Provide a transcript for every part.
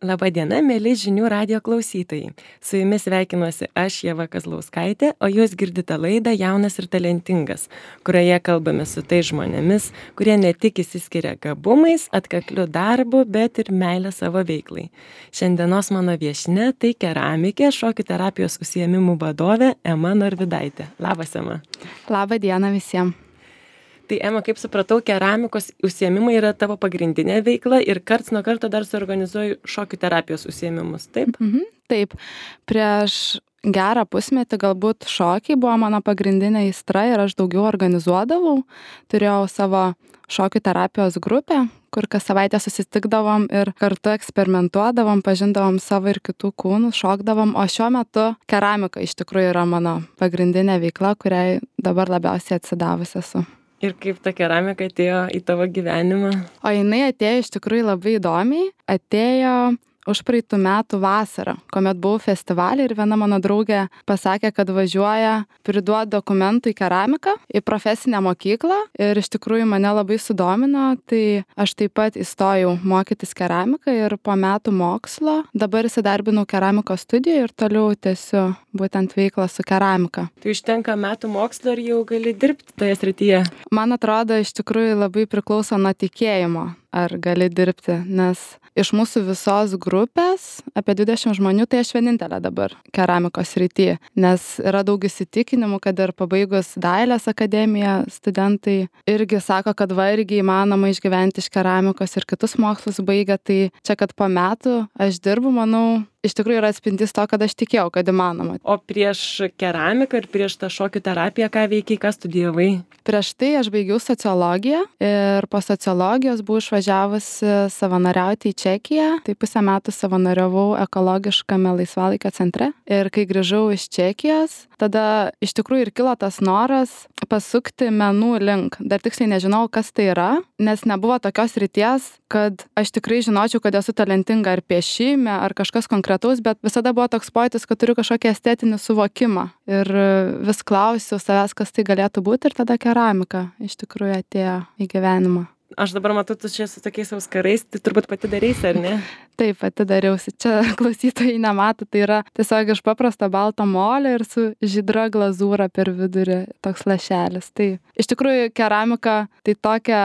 Labadiena, mėly žinių radijo klausytojai. Su jumis sveikinuosi aš, Ieva Kazlauskaitė, o jūs girdite laidą Jaunas ir talentingas, kurioje kalbame su tais žmonėmis, kurie ne tik išsiskiria gabumais, atkakliu darbu, bet ir meilę savo veiklai. Šiandienos mano viešnia tai keramikė, šokių terapijos užsiėmimų vadovė Ema Norvidaitė. Labas, Ema. Labą dieną visiems. Tai, Ema, kaip supratau, keramikos užsiėmimai yra tavo pagrindinė veikla ir karts nuo karto dar suorganizuoju šokių terapijos užsiėmimus, taip? Taip, prieš gerą pusmetį galbūt šokiai buvo mano pagrindinė aistra ir aš daugiau organizuodavau. Turėjau savo šokių terapijos grupę, kur kas savaitę susitikdavom ir kartu eksperimentuodavom, pažindavom savo ir kitų kūnus, šokdavom, o šiuo metu keramika iš tikrųjų yra mano pagrindinė veikla, kuriai dabar labiausiai atsidavus esu. Ir kaip ta keramika atėjo į tavo gyvenimą? O jinai atėjo iš tikrųjų labai įdomiai, atėjo užpraeitų metų vasarą, kuomet buvau festivalį ir viena mano draugė pasakė, kad važiuoja priduoti dokumentų į keramiką, į profesinę mokyklą ir iš tikrųjų mane labai sudomino, tai aš taip pat įstojau mokytis keramiką ir po metų mokslo dabar įsidarbinau keramikos studijoje ir toliau tęsiu būtent veiklą su keramika. Tai užtenka metų mokslo ir jau gali dirbti toje srityje? Man atrodo, iš tikrųjų labai priklauso nuo tikėjimo, ar gali dirbti, nes iš mūsų visos grupės, apie 20 žmonių, tai aš vienintelė dabar keramikos srityje, nes yra daug įsitikinimų, kad ir pabaigus dailės akademiją studentai irgi sako, kad irgi įmanoma išgyventi iš keramikos ir kitus mokslus baigia, tai čia, kad po metų aš dirbu, manau, iš tikrųjų yra atspindys to, kad aš tikėjau, kad įmanoma. O prieš keramiką ir prieš tą šokių terapiją, ką veikiai, ką studijavai? Prieš tai aš baigiau sociologiją ir po sociologijos buvau išvažiavusi savanoriauti į Čekiją. Tai pusę metų savanoriavau ekologiškame laisvalaikio centre. Ir kai grįžau iš Čekijos, tada iš tikrųjų ir kilo tas noras pasukti menų link. Dar tiksliai nežinau, kas tai yra, nes nebuvo tokios ryties, kad aš tikrai žinočiau, kad esu talentinga ar piešime, ar kažkas konkretaus, bet visada buvo toks pojūtis, kad turiu kažkokį estetinį suvokimą. Ir vis klausiau savęs, kas tai galėtų būti, ir tada keramika iš tikrųjų atėjo į gyvenimą. Aš dabar matau, tu čia su tokiais auskarais, tai turbūt pati darysi, ar ne? Taip, pati dariausi. Čia klausytojai nemato, tai yra tiesiog iš paprasto balto molio ir su žydra glazūra per vidurį toks lašelis. Tai iš tikrųjų keramika tai tokia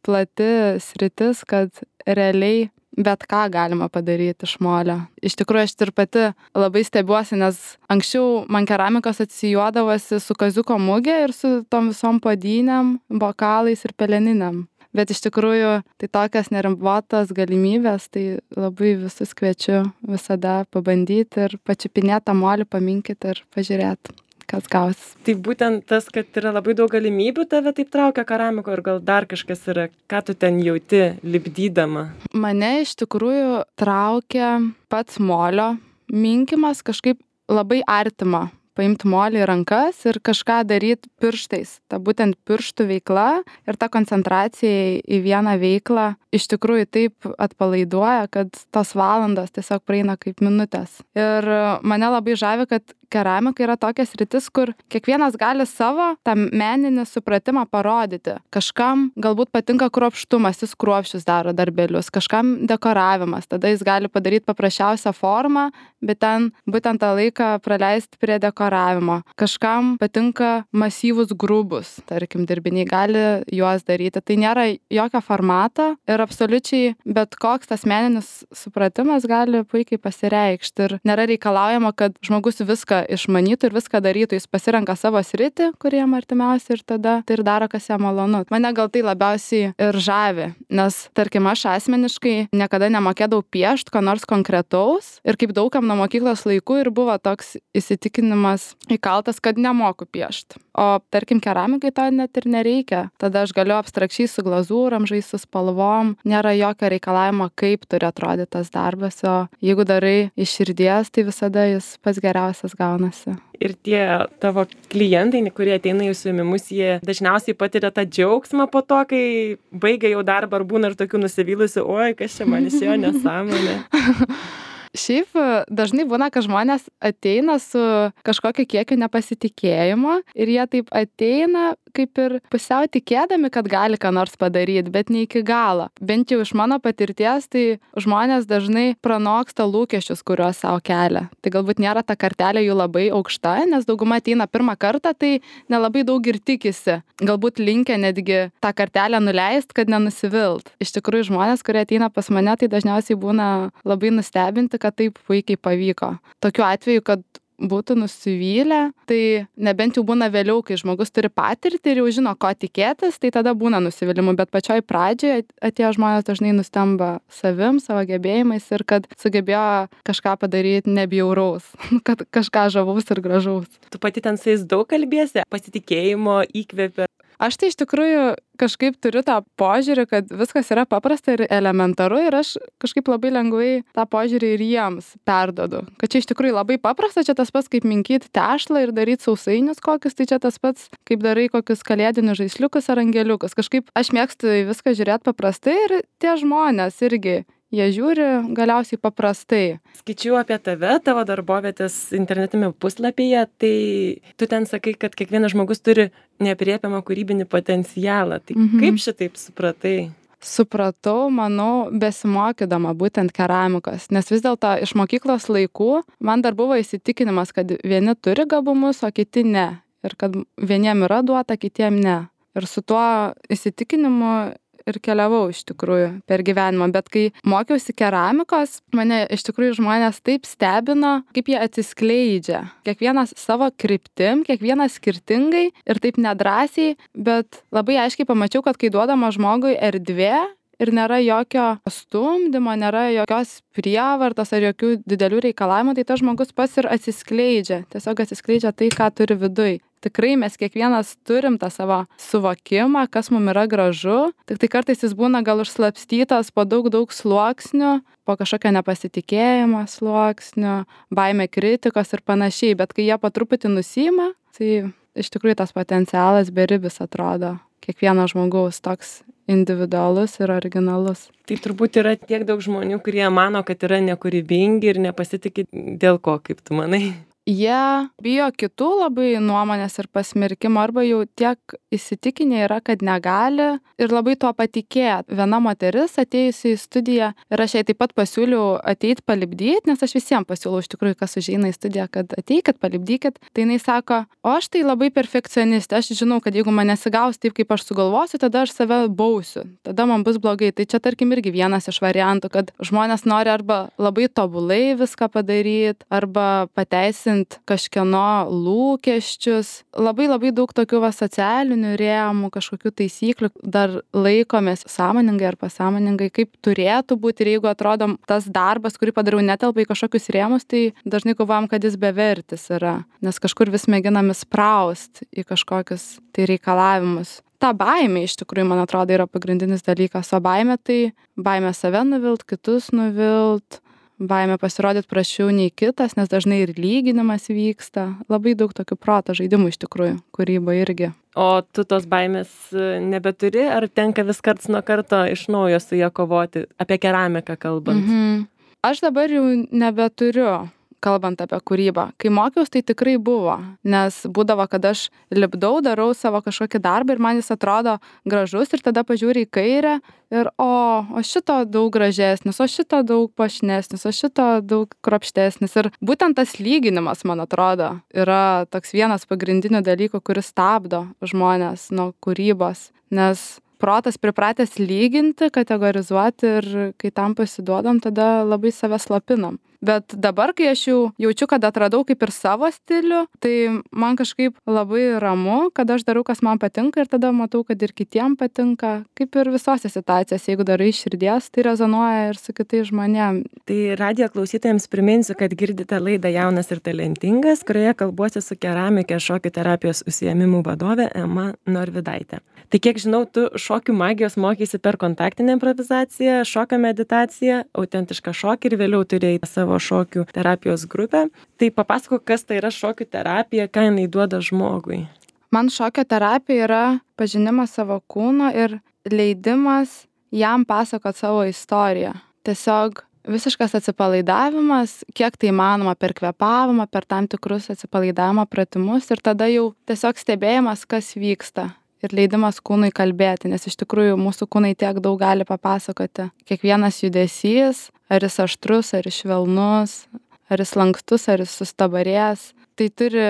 plati sritis, kad realiai bet ką galima padaryti iš molio. Iš tikrųjų, aš ir pati labai stebiuosi, nes anksčiau man keramikos atsijuodavosi su kaziuko mugė ir su tom visom puodynėm, bokalais ir peleninėm. Bet iš tikrųjų, tai tokias neribotas galimybės, tai labai visus kviečiu visada pabandyti ir pačiupinėti tą molį, paminkyti ir pažiūrėti, kas gausis. Tai būtent tas, kad yra labai daug galimybių, tave taip traukia keramiko ir gal dar kažkas yra, ką tu ten jauti lipdydama? Mane iš tikrųjų traukia pats molio minkimas, kažkaip labai artima. Paimti molį į rankas ir kažką daryti pirštais. Ta būtent pirštų veikla ir ta koncentracija į vieną veiklą iš tikrųjų taip atpalaiduoja, kad tos valandos tiesiog praeina kaip minutės. Ir mane labai žavi, kad keramika yra tokia sritis, kur kiekvienas gali savo tą meninį supratimą parodyti. Kažkam galbūt patinka kruopštumas, jis kruopščius daro darbelius, kažkam dekoravimas, tada jis gali padaryti paprasčiausią formą, bet ten būtent tą laiką praleisti prie dekoravimo. Kažkam patinka masyvus grubus, tarkim, dirbiniai gali juos daryti. Tai nėra jokio formato ir absoliučiai bet koks tas meninis supratimas gali puikiai pasireikšti. Ir nėra reikalaujama, kad žmogus viską išmanytų ir viską darytų. Jis pasirenka savo sritį, kurie jam artimiausia ir tada tai ir daro, kas jam malonu. Mane gal tai labiausiai ir žavi, nes, tarkim, aš asmeniškai niekada nemokėdavau piešti ko nors konkretaus ir kaip daugam nuo mokyklos laikų ir buvo toks įsitikinimas įkaltas, kad nemoku piešti. O, tarkim, keramikai to net ir nereikia. Tada aš galiu abstrakčiai su glazūram, žaisti su spalvom, nėra jokio reikalavimo, kaip turi atrodyti tas darbas, o jeigu darai iš širdies, tai visada jis pats geriausias gaunasi. Ir tie tavo klientai, kurie ateina į užsiėmimus, jie dažniausiai patiria tą džiaugsmą po to, kai baigia jau darbą, ar būna ir tokių nusivylusių, oi, kas čia man išėjo nesąmonė. Šiaip dažnai būna, kad žmonės ateina su kažkokiu kiekiu nepasitikėjimo ir jie taip ateina kaip ir pusiau tikėdami, kad gali ką nors padaryti, bet ne iki galo. Bent jau iš mano patirties, tai žmonės dažnai pranoksta lūkesčius, kuriuos savo kelia. Tai galbūt nėra ta kartelė jų labai aukšta, nes dauguma ateina pirmą kartą, tai nelabai daug ir tikisi. Galbūt linkę netgi tą kartelę nuleist, kad nenusivilt. Iš tikrųjų, žmonės, kurie ateina pas mane, tai dažniausiai būna labai nustebinti, kad taip puikiai pavyko. Tokiu atveju, kad būtų nusivylę, tai nebent jau būna vėliau, kai žmogus turi patirtį ir jau žino, ko tikėtis, tai tada būna nusivylimų, bet pačioj pradžioje atėjo žmonės dažnai nustemba savim, savo gebėjimais ir kad sugebėjo kažką padaryti nebjauraus, kad kažką žavaus ir gražaus. Tu pati ten su jais daug kalbėsi, pasitikėjimo įkvėpia. Aš tai iš tikrųjų kažkaip turiu tą požiūrį, kad viskas yra paprasta ir elementaru ir aš kažkaip labai lengvai tą požiūrį ir jiems perdodu. Kad čia iš tikrųjų labai paprasta, čia tas pats kaip minkyti tešlą ir daryti sausainius kokius, tai čia tas pats kaip darai kokius kalėdinius žaisliukus ar angeliukus. Kažkaip aš mėgstu į viską žiūrėti paprastai ir tie žmonės irgi. Jie žiūri galiausiai paprastai. Skaičiau apie tave, tavo darbovietės internetiniame puslapyje, tai tu ten sakai, kad kiekvienas žmogus turi neaprėpiamą kūrybinį potencialą. Tai kaip šitaip supratai? Supratau, manau, besimokydama būtent keramikos, nes vis dėlto iš mokyklos laikų man dar buvo įsitikinimas, kad vieni turi gabumus, o kiti ne. Ir kad vieniem yra duota, kitiem ne. Ir su tuo įsitikinimu ir keliavau iš tikrųjų per gyvenimą, bet kai mokiausi keramikos, mane iš tikrųjų žmonės taip stebino, kaip jie atsiskleidžia. Kiekvienas savo kryptim, kiekvienas skirtingai ir taip nedrąsiai, bet labai aiškiai pamačiau, kad kai duodama žmogui erdvė ir nėra jokio stumdymo, nėra jokios prievartos ar jokių didelių reikalavimų, tai tas žmogus pats ir atsiskleidžia. Tiesiog atsiskleidžia tai, ką turi viduj. Tikrai mes kiekvienas turim tą savo suvokimą, kas mums yra gražu, tik tai kartais jis būna gal užslapstytas po daug sluoksnių, po kažkokio nepasitikėjimo sluoksnių, baimė kritikos ir panašiai, bet kai jie po truputį nusiima, tai iš tikrųjų tas potencialas beribis atrodo. Kiekvieno žmogaus toks individualus ir originalus. Tai turbūt yra tiek daug žmonių, kurie mano, kad yra nekūrybingi ir nepasitikė dėl ko, kaip tu manai? Jie bijo kitų labai nuomonės ir pasmerkimo, arba jau tiek įsitikinę yra, kad negali ir labai tuo patikėt. Viena moteris atėjusi į studiją ir aš jai taip pat pasiūliau ateiti palipdyti, nes aš visiems pasiūlau iš tikrųjų, kas užeina į studiją, kad ateikit, palipdykit. Tai jinai sako, o aš tai labai perfekcionistė, aš žinau, kad jeigu man nesigaus taip, kaip aš sugalvosiu, tada aš save bausiu, tada man bus blogai. Tai čia tarkim irgi vienas iš variantų, kad žmonės nori arba labai tobulai viską padaryti, arba pateisinti kažkieno lūkesčius. Labai daug tokių socialinių rėmų, kažkokių taisyklių dar laikomės sąmoningai ar pasąmoningai, kaip turėtų būti. Ir jeigu atrodo tas darbas, kurį padariau, netelpa į kažkokius rėmus, tai dažnai galvojam, kad jis bevertis yra, nes kažkur vis mėginam įspraust į kažkokius tai reikalavimus. Ta baimė iš tikrųjų, man atrodo, yra pagrindinis dalykas. O baimė tai baimė save nuvilt, kitus nuvilt, baimė pasirodyti prašiau nei kitas, nes dažnai ir lyginimas vyksta. Labai daug tokių proto žaidimų iš tikrųjų, kūryba irgi. O tu tos baimės nebeturi, ar tenka vis karts nuo karto iš naujo su ją kovoti, apie keramiką kalbant? Aš dabar jau nebeturiu, kalbant apie kūrybą. Kai mokiaus, tai tikrai buvo, nes būdavo, kad aš lipdau, darau savo kažkokį darbą ir man jis atrodo gražus ir tada pažiūri į kairę ir o šito daug gražesnis, o šito daug puošnesnis, o šito daug kruopštesnis. Ir būtent tas lyginimas, man atrodo, yra toks vienas pagrindinių dalykų, kuris stabdo žmonės nuo kūrybos, nes protas pripratęs lyginti, kategorizuoti ir kai tam pasiduodam, tada labai save slopinam. Bet dabar, kai aš jau jaučiu, kad atradau kaip ir savo stilių, tai man kažkaip labai ramu, kad aš darau, kas man patinka ir tada matau, kad ir kitiem patinka. Kaip ir visose situacijose, jeigu darai iš širdies, tai rezonuoja ir su kitais žmonėm. Tai radijo klausytojams priminsiu, kad girdite laidą Jaunas ir talentingas, kurioje kalbuosi su keramikė šokių terapijos užsiėmimų vadove Ema Norvidaitė. Tai kiek žinau, tu šokių magijos mokysi per kontaktinę improvizaciją, šokio meditaciją, autentišką šokį ir vėliau turėjai savo šokių terapijos grupę. Tai papasakok, kas tai yra šokių terapija, ką jinai duoda žmogui. Man šokio terapija yra pažinimas savo kūno ir leidimas jam pasakot savo istoriją. Tiesiog visiškas atsipalaidavimas, kiek tai įmanoma per kvėpavimą, per tam tikrus atsipalaidavimo pratimus ir tada jau tiesiog stebėjimas, kas vyksta. Ir leidimas kūnui kalbėti, nes iš tikrųjų mūsų kūnai tiek daug gali papasakoti. Kiekvienas judesys, ar jis aštrus, ar jis švelnus, ar jis lankstus, ar jis sustabarės, tai turi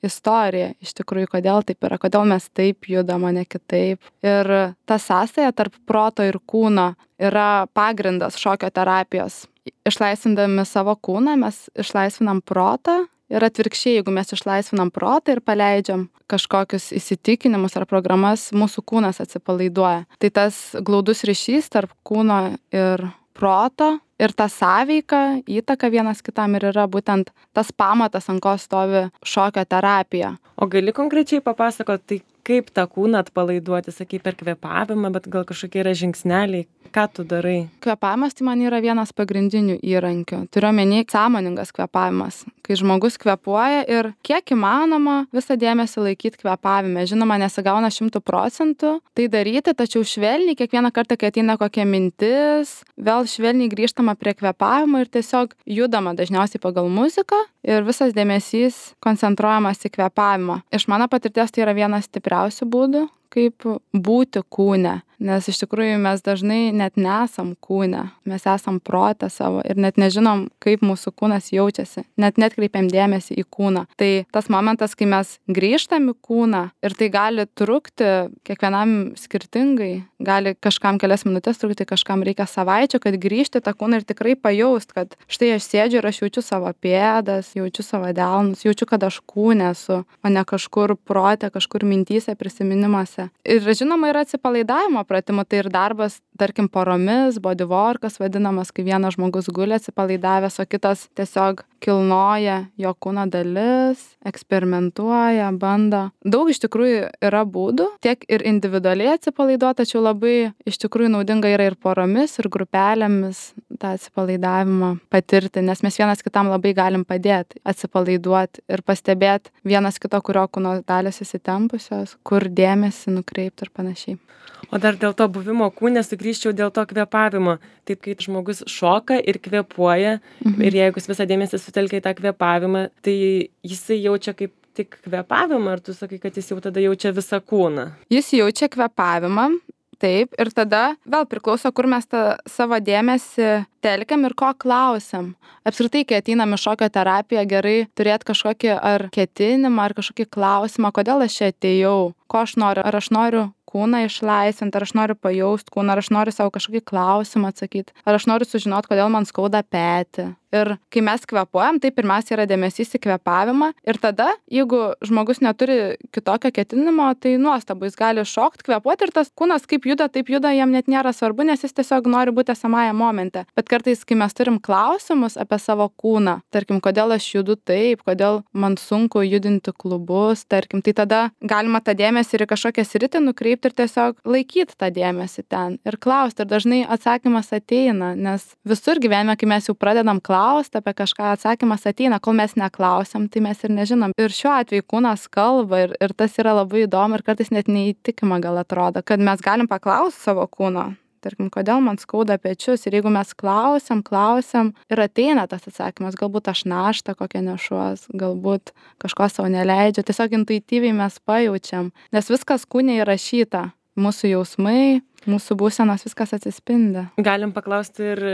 istoriją iš tikrųjų, kodėl taip yra, kodėl mes taip judam, o ne kitaip. Ir ta sąsaja tarp proto ir kūno yra pagrindas šokio terapijos. Išlaisvindami savo kūną, mes išlaisvinam protą. Ir atvirkščiai, jeigu mes išlaisvinam protą ir paleidžiam kažkokius įsitikinimus ar programas, mūsų kūnas atsipalaiduoja. Tai tas glaudus ryšys tarp kūno ir proto ir ta sąveika, įtaka vienas kitam ir yra būtent tas pamatas, ant ko stovi šokio terapija. O gali konkrečiai papasakoti, tai kaip tą kūną atpalaiduoti, sakai, per kvėpavimą, bet gal kažkokie yra žingsneliai, ką tu darai? Kvėpavimas tai man yra vienas pagrindinių įrankių. Turiu omeny sąmoningas kvėpavimas, kai žmogus kvėpuoja ir kiek įmanoma visą dėmesį laikyti kvėpavime. Žinoma, nesigauna 100% tai daryti, tačiau švelniai kiekvieną kartą, kai ateina kokia mintis, vėl švelniai grįžtama prie kvėpavimo ir tiesiog judama dažniausiai pagal muziką ir visas dėmesys koncentruojamas į kvėpavimą. Iš mano patirties tai yra vienas stipriausių būdų, kaip būti kūne, nes iš tikrųjų mes dažnai net nesam kūne, mes esam prote savo ir net nežinom, kaip mūsų kūnas jaučiasi, net netkreipiam dėmesį į kūną. Tai tas momentas, kai mes grįžtam į kūną ir tai gali trukti kiekvienam skirtingai, gali kažkam kelias minutės trukti, kažkam reikia savaičių, kad grįžti tą kūną ir tikrai pajaust, kad štai aš sėdžiu ir aš jaučiu savo pėdas, jaučiu savo delnus, jaučiu, kad aš kūne esu, o ne kažkur prote, kažkur mintyse, prisiminimuose. Ir žinoma, yra atsipalaidavimo pratimų, tai ir darbas, tarkim, poromis, bodyworkas vadinamas, kai vienas žmogus guli atsipalaidavęs, o kitas tiesiog kilnoja jo kūno dalis, eksperimentuoja, bando. Daug iš tikrųjų yra būdų, tiek ir individualiai atsipalaiduoti, tačiau labai iš tikrųjų naudinga yra ir poromis, ir grupelėmis tą atsipalaidavimą patirti, nes mes vienas kitam labai galim padėti atsipalaiduoti ir pastebėti vienas kito, kurio kūno dalys įsitempusios, kur dėmesį nukreipti ir panašiai. O dar dėl to buvimo kūne sugrįžčiau dėl to kvėpavimo. Taip, kai žmogus šoka ir kvėpuoja, ir jeigu jis visą dėmesį sutelkia į tą kvėpavimą, tai jisai jaučia kaip tik kvėpavimą, ar tu sakai, kad jis jau tada jaučia visą kūną? Jis jaučia kvėpavimą, taip, ir tada vėl priklauso, kur mes tą savo dėmesį telkiam ir ko klausiam. Apskritai, kai ateinam į šokio terapiją, gerai turėti kažkokį ar ketinimą, ar kažkokį klausimą, kodėl aš čia atėjau, ko aš noriu, ar aš noriu kūną išlaisvinti, ar aš noriu pajaust kūną, ar aš noriu savo kažkokį klausimą atsakyti, ar aš noriu sužinoti, kodėl man skauda petį. Ir kai mes kvėpuojam, tai pirmiausia yra dėmesys į kvėpavimą ir tada, jeigu žmogus neturi kitokio ketinimo, tai nuostabu, jis gali šokti, kvėpuoti ir tas kūnas kaip juda, taip juda, jam net nėra svarbu, nes jis tiesiog nori būti esamąją momente. Bet kartais, kai mes turim klausimus apie savo kūną, tarkim, kodėl aš judu taip, kodėl man sunku judinti klubus, tarkim, tai tada galima tą dėmesį ir į kažkokią sritį nukreipti ir tiesiog laikyti tą dėmesį ten ir klausti. Ir dažnai atsakymas ateina, nes visur gyvenime, kai mes jau pradedam klausti apie kažką, atsakymas ateina, kol mes neklausiam, tai mes ir nežinom. Ir šiuo atveju kūnas kalba ir tas yra labai įdomu ir kartais net neįtikima gal atrodo, kad mes galim paklausti savo kūno. Tarkim, kodėl man skauda pečius ir jeigu mes klausiam ir ateina tas atsakymas, galbūt aš naštą kokią nešuos, galbūt kažko savo neleidžia, tiesiog intuityviai mes pajaučiam, nes viskas kūne įrašyta, mūsų jausmai, mūsų būsenos, viskas atsispindi. Galim paklausti ir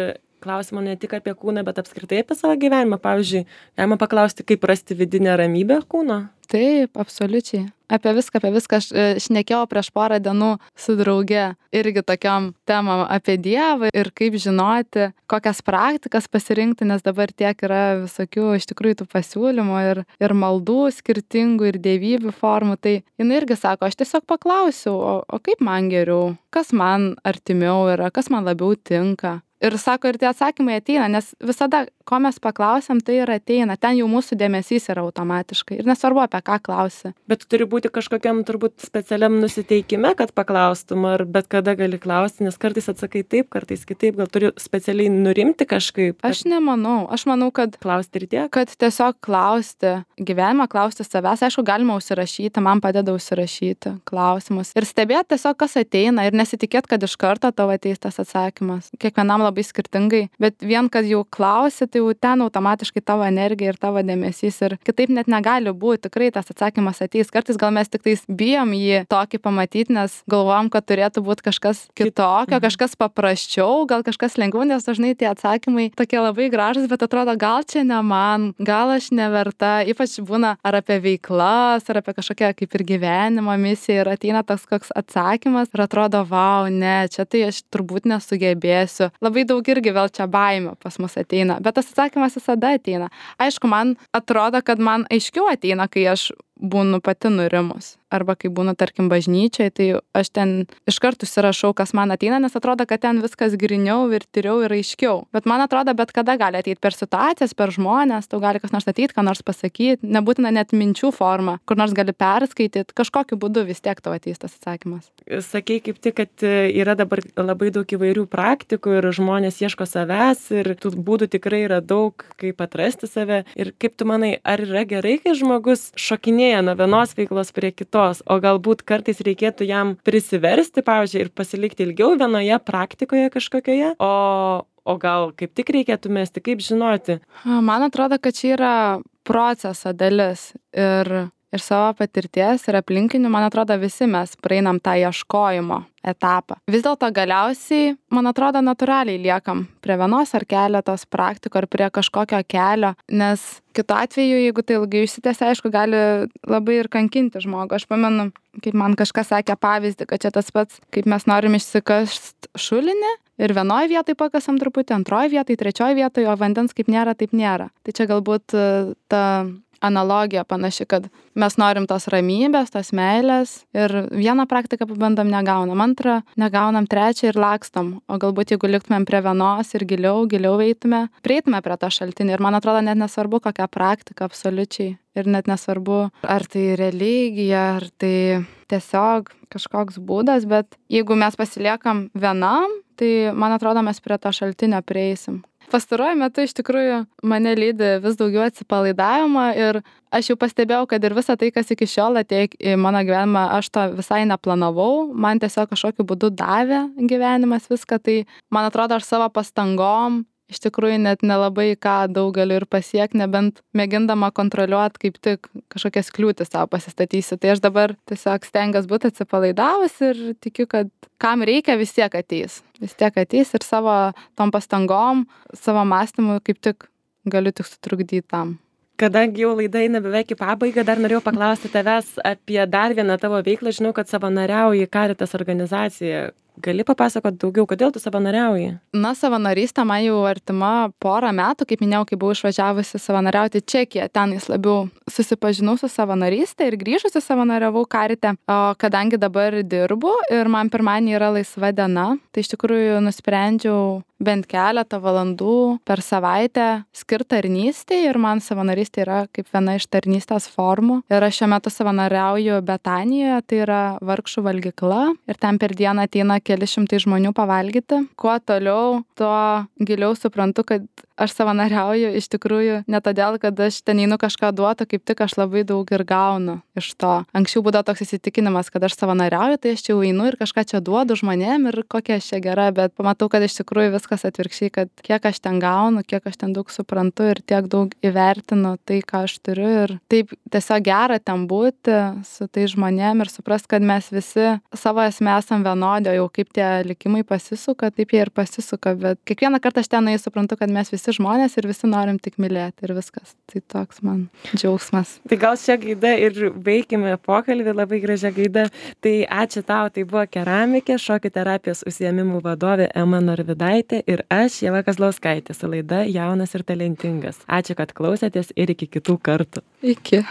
klausimo ne tik apie kūną, bet apskritai apie savo gyvenimą. Pavyzdžiui, galima paklausti, kaip rasti vidinę ramybę kūno? Taip, absoliučiai. Apie viską aš šnekėjau prieš porą dienų su drauge irgi tokiom temom apie Dievą ir kaip žinoti, kokias praktikas pasirinkti, nes dabar tiek yra visokių iš tikrųjų tų pasiūlymų ir maldų skirtingų ir dievybių formų. Tai jinai irgi sako, aš tiesiog paklausiau, o kaip man geriau, kas man artimiau yra, kas man labiau tinka. Ir sako, ir tie atsakymai ateina, nes visada, ko mes paklausiam, tai ir ateina. Ten jau mūsų dėmesys yra automatiškai. Ir nesvarbu, apie ką klausi. Bet turi būti kažkokiam turbūt specialiam nusiteikime, kad paklaustum, ar bet kada gali klausti, nes kartais atsakai taip, kartais kitaip, gal turi specialiai nurimti kažkaip. Aš nemanau. Aš manau, kad klausti ir tiek. Kad tiesiog klausti gyvenimą, klausti savęs. Aišku, galima užsirašyti, man padeda užsirašyti klausimus. Ir stebėti tiesiog, kas ateina ir nesitikėti, kad iš karto tavo ateis tas atsakymas. Kiekvienam labai skirtingai, bet vien, kad jau klausi, tai jau ten automatiškai tavo energija ir tavo dėmesys ir kitaip net negali būti, tikrai tas atsakymas ateis. Kartais gal mes tik tais bijom jį tokį pamatyti, nes galvojam, kad turėtų būti kažkas kitokio, kažkas paprasčiau, gal kažkas lengviau, nes dažnai tie atsakymai tokie labai gražus, bet atrodo, gal čia ne man, gal aš neverta, ypač būna ar apie veiklas, ar apie kažkokią kaip ir gyvenimo misiją ir ateina toks koks atsakymas ir atrodo, vau, ne, čia tai aš turbūt nesugebėsiu. Labai daug irgi vėl čia baimė pas mus ateina, bet tas atsakymas visada ateina. Aišku, man atrodo, kad man aiškiau ateina, kai aš būnu pati nurimus. Arba kai būnu, tarkim, bažnyčiai, tai aš ten iš karto užsirašau, kas man ateina, nes atrodo, kad ten viskas griniau ir tyriau ir aiškiau. Bet man atrodo, bet kada gali ateiti per situacijas, per žmonės, tau gali kas nors ateiti, ką nors pasakyti, nebūtina net minčių forma, kur nors gali perskaityti, kažkokiu būdu vis tiek tau ateis tas atsakymas. Sakei kaip tik, kad yra dabar labai daug įvairių praktikų ir žmonės ieško savęs ir tų būdų tikrai yra daug, kaip atrasti save. Ir kaip tu manai, ar yra gerai, kai žmogus šokinėja nuo vienos veiklos prie kitos, o galbūt kartais reikėtų jam prisiversti, pavyzdžiui, ir pasilikti ilgiau vienoje praktikoje kažkokioje, o gal kaip tik reikėtų mesti, kaip žinoti? Man atrodo, kad čia yra proceso dalis ir savo patirties ir aplinkinių, man atrodo, visi mes praeinam tą ieškojimo etapą. Vis dėlto galiausiai, man atrodo, natūraliai liekam prie vienos ar keletos praktikų ar prie kažkokio kelio, nes kitu atveju, jeigu tai ilgai išsitęsia, aišku, gali labai ir kankinti žmogų. Aš pamenu, kaip man kažkas sakė pavyzdį, kad čia tas pats, kaip mes norim išsikast šulinį ir vienoje vietoje pakasam truputį, antroje vietoje, trečioje vietoje, o vandens kaip nėra, taip nėra. Tai čia galbūt ta analogija panaši, kad mes norim tos ramybės, tos meilės ir vieną praktiką pabandom negaunam, antrą negaunam, trečią ir lakstom. O galbūt jeigu liktumėm prie vienos ir giliau eitume, prieitume prie to šaltinį. Ir man atrodo, net nesvarbu, kokia praktika absoliučiai. Ir net nesvarbu, ar tai religija, ar tai tiesiog kažkoks būdas, bet jeigu mes pasiliekam vienam, tai man atrodo, mes prie to šaltinio prieisim. Pastaruoju metu iš tikrųjų mane lydi vis daugiau atsipalaidavimo ir aš jau pastebėjau, kad ir visa tai, kas iki šiol atėjo į mano gyvenimą, aš to visai neplanavau, man tiesiog kažkokiu būdu davė gyvenimas viską, tai man atrodo, aš savo pastangom iš tikrųjų net nelabai ką daug galiu ir pasiekti, nebent mėgindama kontroliuoti, kaip tik kažkokias kliūtis savo pasistatysiu. Tai aš dabar tiesiog stengiuosi būti atsipalaidavus ir tikiu, kad kam reikia, vis tiek ateis. Vis tiek ateis ir savo tom pastangom, savo mąstymu kaip tik galiu tik sutrukdyti tam. Kadangi jau laida eina beveik į pabaigą, dar norėjau paklausti tavęs apie dar vieną tavo veiklą. Žinau, kad savanoriauji Caritas organizacijoje. Gali papasakoti daugiau, kodėl tu savanoriauji? Na, savanorystė man jau artima porą metų, kaip minėjau, kai buvau išvažiavusi savanoriauti Čekiją, ten jis labiau susipažinau su savanorystė ir grįžusi savanoriavau Carite, o kadangi dabar dirbu ir man pirmadienį yra laisva diena, tai iš tikrųjų nusprendžiau bent keletą valandų per savaitę skirti tarnystei ir man savanorystė yra kaip viena iš tarnystės formų. Ir aš šiuo metu savanoriauju Betanijoje, tai yra vargšų valgykla ir ten per dieną ateina keli šimtai žmonių pavalgyti. Kuo toliau, tuo giliau suprantu, kad aš savanoriauju iš tikrųjų ne todėl, kad aš ten einu kažką duoti, kaip tik aš labai daug ir gaunu iš to. Anksčiau būdavo toks įsitikinimas, kad aš savanoriauju, tai aš čia jau einu ir kažką čia duodu žmonėm ir kokia aš čia gera, bet pamatau, kad iš tikrųjų viskas atvirkščiai, kad kiek aš ten gaunu, kiek aš ten daug suprantu ir tiek daug įvertinu tai, ką aš turiu ir taip tiesiog gera ten būti su tai žmonėm ir suprast, kad mes visi savo esmė esam vienodi, jau kaip tie likimai pasisuka, taip jie ir pasisuka, bet kiekvieną kartą aš ten suprantu, kad mes visi žmonės ir visi norim tik mylėti ir viskas. Tai toks man džiaugsmas. Tai gal šią gaidą ir baikime pokalbį, labai gražią gaidą. Tai ačiū tau, tai buvo keramikė, šokių terapijos užsiėmimų vadovė Ema Norvidaitė ir aš, Ieva Kazlauskaitė, su laida Jaunas ir talentingas. Ačiū, kad klausėtės ir iki kitų kartų. Iki.